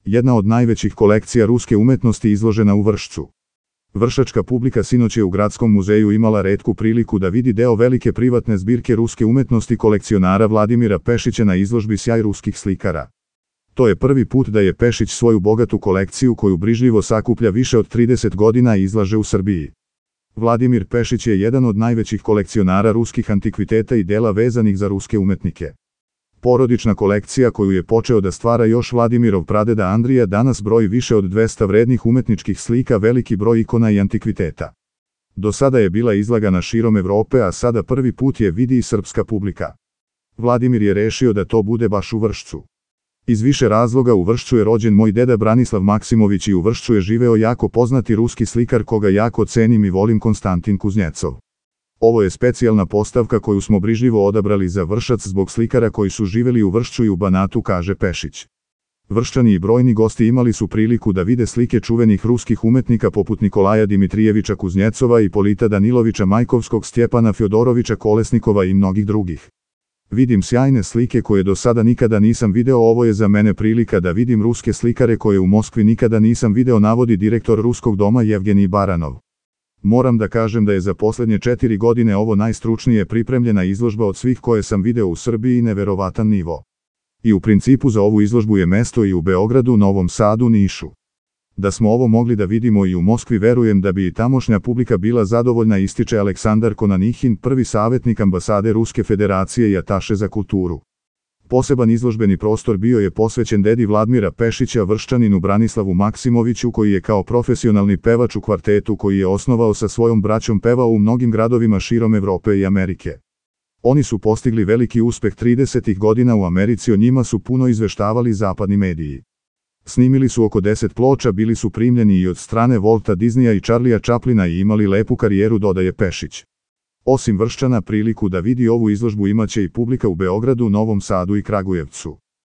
Jedna od najvećih kolekcija ruske umetnosti izložena u Vršcu. Vršačka publika sinoć je u Gradskom muzeju imala retku priliku da vidi deo velike privatne zbirke ruske umetnosti kolekcionara Vladimira Pešića na izložbi Sjaj ruskih slikara. To je prvi put da je Pešić svoju bogatu kolekciju koju brižljivo sakuplja više od 30 godina izlaže u Srbiji. Vladimir Pešić je jedan od najvećih kolekcionara ruskih antikviteta i dela vezanih za ruske umetnike. Porodična kolekcija koju je počeo da stvara još Vladimirov pradeda Andrija danas broji više od 200 vrednih umetničkih slika, veliki broj ikona i antikviteta. Do sada je bila izlagana širom Evrope, a sada prvi put je vidi i srpska publika. Vladimir je rešio da to bude baš u Vršcu. Iz više razloga u Vršcu je rođen moj deda Branislav Maksimović i u Vršcu je živeo jako poznati ruski slikar koga jako cenim i volim, Konstantin Kuznjecov. Ovo je specijalna postavka koju smo brižljivo odabrali za Vršac zbog slikara koji su živeli u Vršcu i u Banatu, kaže Pešić. Vrščani i brojni gosti imali su priliku da vide slike čuvenih ruskih umetnika poput Nikolaja Dimitrijevića Kuznjecova, Ipolita Danilovića Majkovskog, Stjepana Fjodorovića Kolesnikova i mnogih drugih. Vidim sjajne slike koje do sada nikada nisam video, ovo je za mene prilika da vidim ruske slikare koje u Moskvi nikada nisam video, navodi direktor Ruskog doma Jevgenij Baranov. Moram da kažem da je za posljednje 4 godine ovo najstručnije pripremljena izložba od svih koje sam video u Srbiji i neverovatan nivo. I u principu za ovu izložbu je mesto i u Beogradu, Novom Sadu, Nišu. Da smo ovo mogli da vidimo i u Moskvi, verujem da bi i tamošnja publika bila zadovoljna, ističe Aleksandar Konanihin, prvi savjetnik ambasade Ruske federacije i ataše za kulturu. Poseban izložbeni prostor bio je posvećen dedi Vladimira Pešića, Vrščaninu Branislavu Maksimoviću, koji je kao profesionalni pevač u kvartetu koji je osnovao sa svojom braćom pevao u mnogim gradovima širom Evrope i Amerike. Oni su postigli veliki uspeh 30. godina u Americi, o njima su puno izveštavali zapadni mediji. Snimili su oko 10 ploča, bili su primljeni i od strane Walta Disneya i Charlija Chaplina i imali lepu karijeru, dodaje Pešić. Osim Vrščana, priliku da vidi ovu izložbu imaće i publika u Beogradu, Novom Sadu i Kragujevcu.